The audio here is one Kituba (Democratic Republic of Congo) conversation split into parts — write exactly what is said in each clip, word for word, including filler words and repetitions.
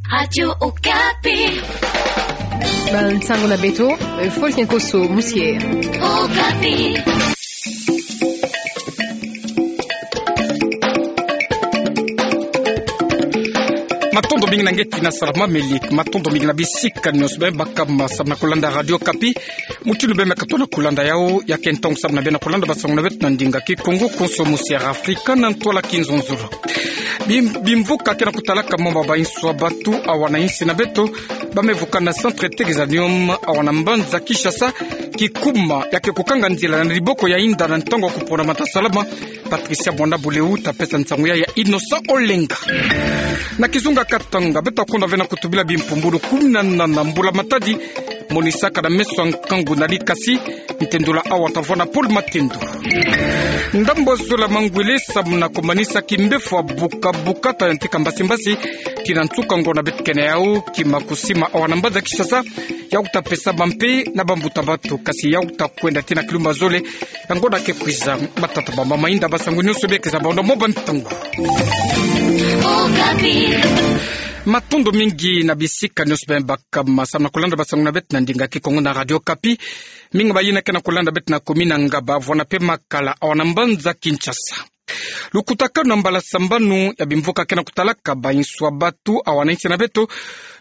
Radio Okapi. Bansango na beto, eh, Faustin Kosso Moussier. Okapi. Matondo mingi na nge ti na sala mameli, matondo mingi na bisika nionso bima baka ma samu na kolanda Radio Okapi. Mutindu bima katuka na kolanda yau, ya ke ntangu samu na beno kolanda bansango na beto na ndinga Kikongo, konso mu Sierra Afrika na ntwala Kinzonzolo. Bim-, bimvuka ke na kutalaka mo ma bainso ya bantu awa na insi na beto, bame vuka na Centre Tegesanium awa na mbanza Kinshasa, kikuma ya ke kukanga nzila na liboko ya inda na ntangu ya kupona mata salama. Patricia Mwanda Buleu ta pesa nsangu ya, ya Innocent Olenga. Na kizunga Katanga, beto ta konda ve na kutubila bimpumbulu kumi na nana mbula matadi, monisaka na meso ya nkangu na likasi, ntendula awa ta vwa na Paul Matendo. Ndambu zole ya mangwele samu na kumanisa kimbefo ya buka-buka ta yantika mbasi-mbasi, tii na nsuka ngonda beto kena yau, kima kusima awa na mbanza Kinshasa, yau ta pesama mpe na bambuta bantu, kasi yau ta kwenda tii na kilumbu zole, ya ngonda ke kwiza. Batata, bamama, inda bansangu nionso bia keza baondo mo bantangu. Okapi. Matondo mingi na bisika nionso bima baka ma samu na kolanda bansangu na beto na ndinga Kikongo na Radio Okapi. Mingi bayina ke na kolanda beto na commune ya Ngaba, vwa na mpe Makala, awa na mbanza Kinshasa. Lukutakanu na mbala sambanu ya bimvuka ke na kutalaka bainso ya bantu awa na insi na beto,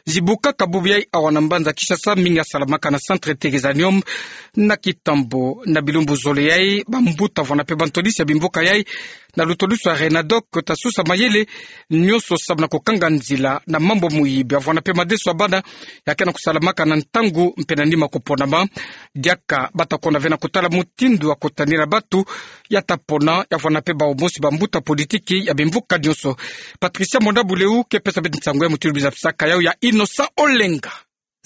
zibukaka bubu yai awa na mbanza Kinshasa, mingi ya salamaka na Centre Tegesanium. Na kitambo na bilumbu zole yai, bambuta vwa na mpe bantwadisi ya bimvuka yai, na lutwadusu ya Renadoc, ta susa mayele nionso samu na kukanga nzila na mambu muyibi ya vwa na mpe madeso ya bana, ya ke na kusalamaka na ntangu mpe na nima kuponama. Diaka bata konda ve na kutala mutindu ya kutanina bantu ya ta pona, ya vwa na mpe bawu mosi bambuta politiki ya bimvuka nionso. Patricia Mwanda Buleu ke pesa beto nsangu ya mutindu biza pisaka yau, ya Innocent Olenga.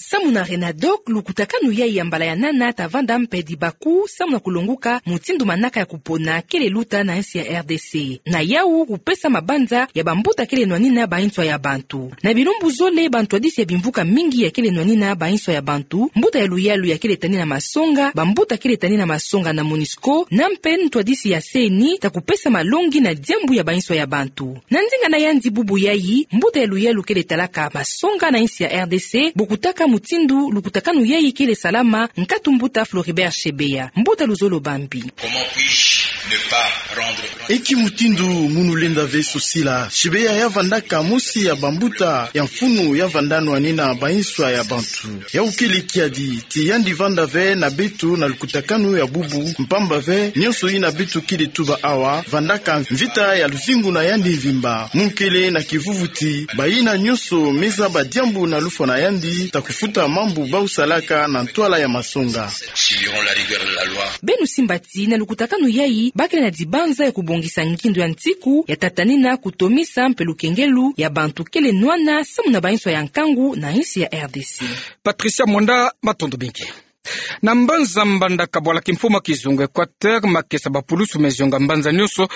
Samu na Renadoc, lukutakanu yai ya mbala ya nana ta vanda mpe dibaku samu na kulonguka mutindu manaka ya kupona kele luta na insi ya R D C. Na yau kupesa mabanza ya bambuta kele nwanina bainso ya bantu. Na bilumbu zole, bantwadisi ya bimvuka mingi ya kele nwanina bainso ya bantu, mbuta ya luyalu ya kele tanina masonga, bambuta kele tanina masonga na MONUSCO, na mpe ntwadisi ya C E N I, ta kupesa malongi na diambu ya bainso ya bantu. Na ndinga na yandi bubu yai, mbuta ya luyalu kele talaka masonga na insi ya R D C, bokutaka mutindu lukutakanu yai kele salama, nkatu mbuta Floribert Chebeya. Mbuta, luzolo bambi. Comment puis-je ne pas rendre... Eki mutindu munu lenda ve sosila? Chebeya ya vandaka mosi ya bambuta ya mfunu ya vanda nwanina bainso ya bantu. Yau kele kiadi ti yandi vanda ve na beto na lukutakanu ya bubu, mpamba ve nionso yina beto kele tuba awa vandaka mvita ya luzingu na yandi mvimba. Mukele na kivuvu ti bayina nionso me zaba diambu na lufwa na yandi, ta kufuta mambu bau salaka na ntwala ya masonga. Subiront la rigueur de la loi. Beno simba ti na lukutakanu yai, bakele na dibanza ya kubongisa ngindu ya ntiku ya ta tanina kutomisa mpe lukengelo ya bantu kele nwana samu na bainso ya nkangu na insi ya R D C. Patricia Mwanda, matondo mingi. Na mbanza Mbandaka, bwala kimfumu ya kizunga Equateur, makesa ya bapulusu me zionga mbanza nionso,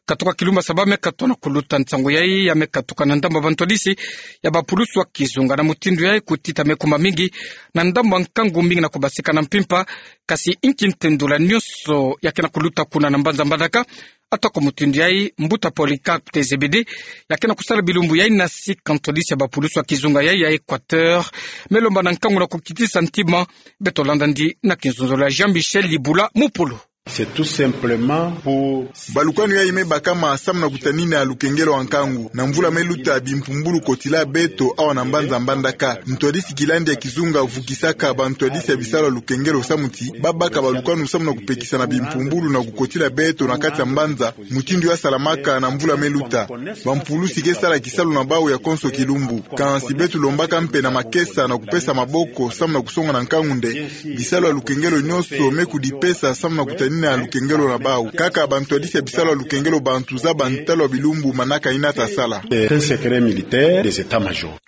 katuka kilumbu ya saba me katuka na kuluta. Nsangu yai ya me katuka na ndambu ya bantwadisi ya bapulusu ya kizunga. Na mutindu yai, kutita me kuma mingi na ndambu ya nkangu, mingi na kubasika na mpimpa. Kasi inki ntendula nionso ya ke na kuluta kuna na mbanza Mbandaka? Atako mutindu yai, mbuta Polycarpe Tezebede, ya ke na kusala bilumbu yai na sika ntwadisi ya bapulusu ya kizunga yai ya Equateur, me lomba na nkangu na kukitisa ntima. Beto landa ndi na kinzonzolo ya Jean-Michel Libula Mupolo. C'est tout simplement pour... Balukanu yai me bakama samu na kutanina lukengelo ya nkangu. Na mvula me luta, bimpumbulu kotila beto awa na mbanza Mbandaka. Ntwadisi kilandi ya kizunga vukisaka bantwadisi ya bisalu ya lukengelo samu ti ba baka balukanu samu na kupekisa na bimpumbulu na kukotila beto na kati ya mbanza, mutindu ya salamaka na mvula me luta. Bampulusi ke sala kisalu na bau ya konso kilumbu. Kansi beto lombaka mpe na makesa na kupesa maboko samu na kusonga na nkangu nde bisalu ya lukengelo nionso me kudipesa samu na kutanina lukengelo na bau. Kaka bantwadisi ya bisalu ya lukengelo bantu zaba ntalu ya bilumbu manaka yina ta sala. C'est un secret militaire des états-majors.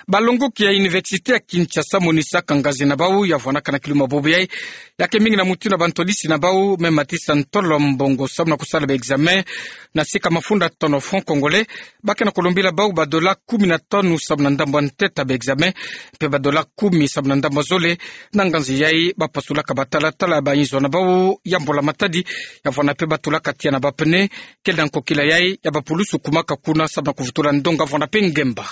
Balongoki ya Université ya Kinshasa monisaka ngazi na bau ya vwanaka na kilumbu ya bubu yai, ya ke mingi na mutindu ya bantwadisi na bau me matisa ntolo mbongo samu na kusala ba examen na sika mafunda tanu francs congolais. Ba ke na kulombila bau ba dola kumi na tanu samu na ndambu ya ntete ya ba examen, mpe ba dola kumi samu na ndambu ya zole. Na ngazi yai ba pasulaka ba talatala ya ba inzo na bau ya mbula matadi, ya vwanda mpe ba tulaka tiya na ba pneu. Kele na nkokila yai ya bapulusu kumaka kuna samu na kuvutula ndonga vwanda mpe ngemba.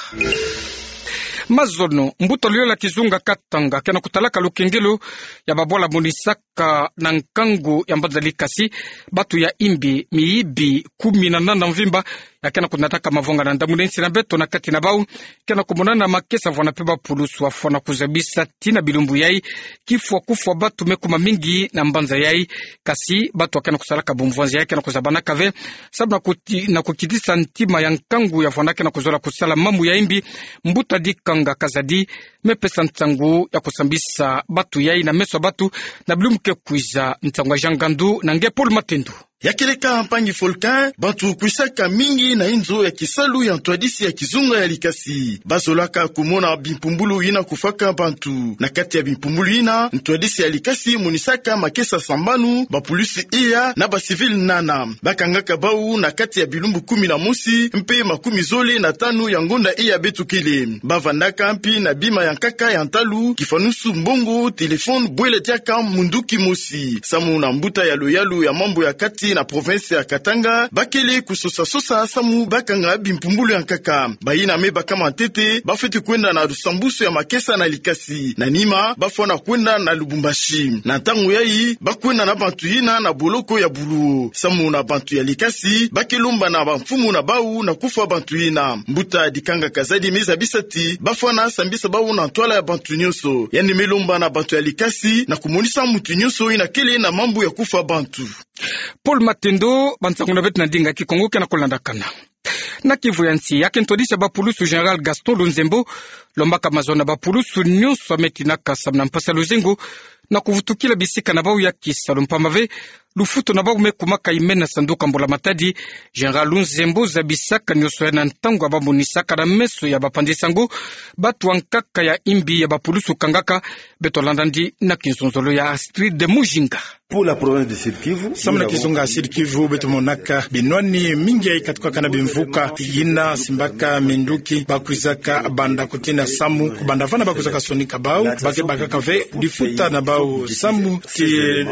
Mazono, mbuta luyalu ya kizunga Katanga ke na kutalaka lukengelo ya babwala monisaka na nkangu ya mbanza Likasi batu ya imbi, miyibi kumi na nana mvimba, ya ke na kunataka mavwanga na ndamuna nsi na beto. Na kati na bau ke na kumonana makesa vwanda mpe bapulusu wafwana kuzabisa tii na bilumbu yai kifwa kufwa batu me kuma mingi na mbanza yai. Kasi batu ya ke na kusalaka bumvwanzi yai ke na kuzabanaka ve, sababu na kuti-, na kukitisa ntima ya nkangu ya vwanda ke na kuzola kusala mambu ya imbi. Mbuta Dikanga Kazadi me pesa nsangu ya kusambisa batu yai na meso ya batu na bilumbu ke kwiza. Nsangu ya Jean Ngandu na nge Paul Matendo. Ya keleka mpangi Volcan, bantu kwisaka mingi na inzo ya kisalu ya ntwadisi ya kizunga ya Likasi. Bazolaka kumona bimpumbulu yina kufwaka bantu. Na kati ya bimpumbulu yina, ntwadisi ya Likasi monisaka makesa sambanu, bapulusu iya na bacivil nana. Bakangaka bau na kati ya bilumbu kumi na mosi mpe makumi zole na tanu ya ngonda iya beto kele. Bavandaka mpi na bima ya nkaka ya ntalu, kifanusu, mbongo, téléphone, bwela diaka munduki mosi. Samu na mbuta ya luyalu ya mambu ya kati na province ya Katanga, bakele kusosa-sosa samu bakanga bimpumbulu ya nkaka. Bayina me bakama ntete, bafweti kwenda na lusambusu ya makesa na Likasi. Na nima, bafwana kwenda na Lubumbashi. Na ntangu yai, bakwenda na bantu yina na boloko ya Buluwo. Samu na bantu ya Likasi, ba ke lomba na bamfumu na bau na kufwa bantu yina. Mbuta Dikanga Kazadi me zabisa ti bafwana sambisa bau na ntwala ya bantu nyonso. Yandi me lomba na bantu ya Likasi na kumonisa muntu nyonso yina kele na mambu ya kufwa bantu. Paul Matendo, bansangu na beto na ndinga Kikongo ke na kulandakana. Na Kivu ya nsi, ya ke ntwadisi ya bapulusu Général Gaston Lunzembo lombaka mazono na bapulusu nyonso ya me tinaka samu na mpasi ya luzingu na kuvutukila bisika na bau ya kisalu mpamba ve lufutu na bau me kumaka imena sanduku ya mbula matadi. Général Lunzembo zabisaka nyonso yai na ntangu ya bamonisaka na meso ya bapanzi sango batu ya nkaka ya imbi ya bapulusu kangaka. Beto landa yandi na kinzonzolo ya Astrid Mujinga. Pour la province du Sud-Kivu, samu na kizunga Sud-Kivu, beto monaka binwani mingi yai katukaka na bimvuka yina simbaka minduki, bakwizaka banda kutina samu, kubanda vana bakwizaka sonika bau, ba ke bakaka ve difuta na bau samu ti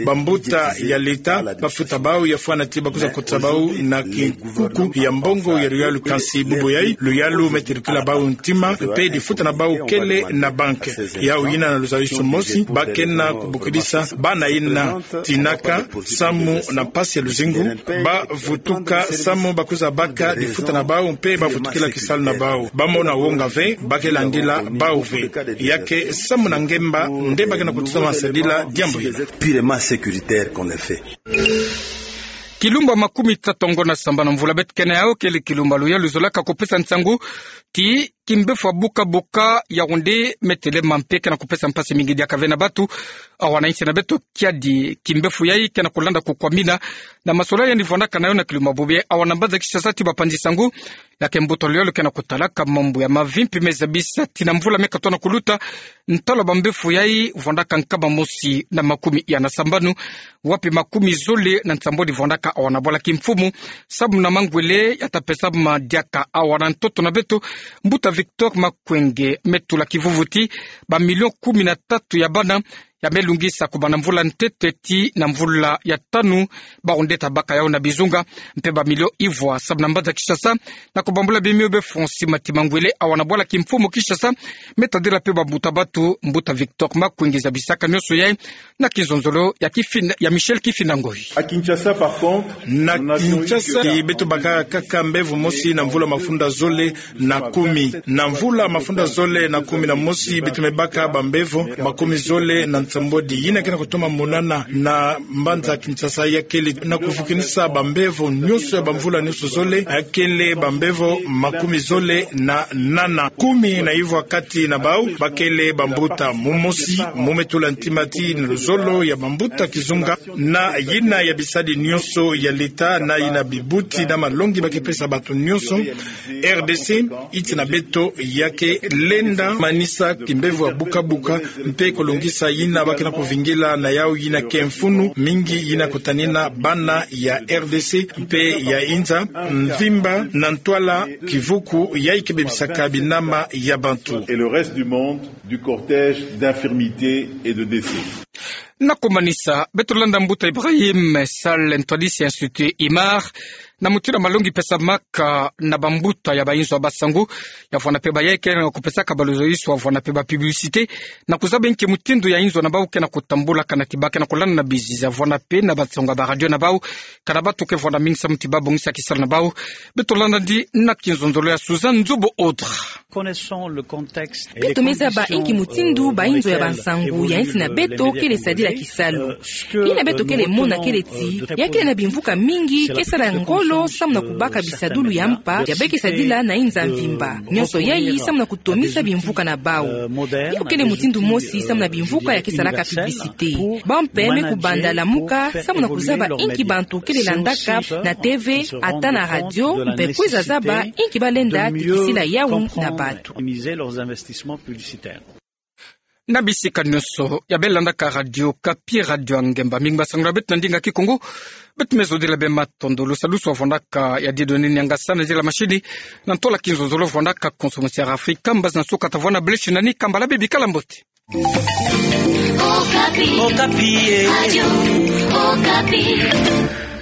bambuta ya leta bafuta bau, ya fwana ti bakwiza kotisa bau na kinkuku ya mbongo ya luyalu. Kansi bubu yai, luyalu me terukila bau ntima, mpe difuta na bau kele na banke. Yau yina na luzayisu mosi, ba ke na kubukidisa bana yina tinaka samu na mpasi ya luzingu, bavutuka samu bakwiza baka difuta na bau, mpe bavutukila kisalu na bau. Bamona wonga ve, ba ke landila bau ve. Ya ke samu na ngemba nde ba ke na kututama sadila diambu yina. Purement sécuritaire qu'on est fait. Kilumbu ya makumi tatu ngo na sambanu mvula beto ke na yau kele kilumbu ya luyalu zolaka kupesa nsangu ti kimbevo ya buka buka ya onde me telema mpe ke na kupesa mpasi mingi diaka ve na batu. Awa na nsi na beto kiadi kimbevo yai ke na kulanda kukwamina na masolani yandi vwandaka na yo na kilumbu ya bubu yai. Awa na mbanza Kinshasa ti bapanzi sango, ya ke mbuta luyalu ke na kutalaka mambu ya mavimpi me zabisa ti na mvula me katoa na kuluta, ntalo ya bambevo yai vwandaka nkama mosi na makumi iya na sambanu, wapi makumi zole na nsambwadi vwandaka awa na bwala kimfumu. Samu na mangwele ya ta pesama diaka awa na ntoto na beto, mbuta Victor Makwenge me tula kivuvu ti bamilio kumi na tatu ya bana ya me lungisa kubanda mvula ntete ti na mvula ya tanu, bau nde ta baka yau na bizunga, mpe bamilio ivwa. Samu na mbanza Kinshasa, na kubambula bimio befo nsima ti mangwele awa na bwala kimfumu Kinshasa me tadila mpe bambuta batu, mbuta Victor Makwenge zabisaka nyonso yai na kinzonzolo ya Kifin-, ya Michel Kifinda Ngoyi. Na Kinshasa, ti beto bakaka kaka mbevo mosi na mvula mafunda zole na kumi. Na mvula mafunda zole na kumi na mosi, beto me baka bambevo makumi zole na nsambwadi. Yina ke na kutoma monana na mbanza Kinshasa ya kele na kuvukinisa bambevo nyonso ya bamvula nyonso zole, ya kele bambevo makumi zole na nana. Kumi na ivwa kati na bau ba kele bambuta. Mumosi mu me tula ntima ti na luzolo ya bambuta kizunga, na yina ya bisadi nyonso ya leta, na yina bibuti na malongi ba ke pesa bato nyonso, R D C, iti na beto ya ke lenda manisa kimbevo ya buka buka, mpe kulongisa yina ba ke na kuvingila na yau yina ke mfunu mingi yina kutanina bana ya R D C mpe ya inza mvimba na ntwala kivuku yai ke bebisaka binama ya bantu. Et le reste du monde du cortège d'infirmité et de décès. Na kumanisa, beto landa mbuta Ibrahim Sall, ntwadisi ya Institut Imar, Na mutindu ya malongi pesamaka na bambuta ya bainzo ya basangu, ya vwanda mpe bayayi ke na kupesaka balozo iso ya vwanda mpe ba publicité, na kuzaba inki mutindu ya inzo na bau ke na kutambulaka na tiba ke na kulanda na bizi ya vwanda mpe na bansangu ya ba radio na bau, ka na bato ke vwanda mingi samu ti babongisa kisalu na bau. Beto landa nandi na kinzonzolo ya Suzanne Nzubu Audre. Beto me zaba inki mutindu bainzo ya bansangu ya insi na beto kele sadila kisalu. Yina beto kele mona kele ti, ya kele na bimvuka mingi ke sala ngolo samu na kubaka bisadulu ya mpa ya be ke sadila na inza mvimba. Nyonso yayi samu na kutomisa bimvuka na bau. Yo kele mutindu mosi samu na bimvuka ya ke salaka publicité. Bau mpe me kubanda lamuka samu na kuzaba inki bantu kele landaka na T V, ata na radio, mpe kwiza zaba inki balenda tikisila yawu na bato. Na bisika nyonso ya be landaka Radio Okapi, Radio ya Ngemba, mingi basangu na beto na ndinga Kikongo. Beto me zodila beno matondo. Lusalusu ya vwandaka ya diedo nini ya ngasa na zila mashini, na ntola kinzonzolo vwandaka Konso Musi ya Afrika, mbazi na nsuka ta vwanda beleshi nani, kambala bê, bikala mbote. Okapi. Okapi, eh. Radio Okapi.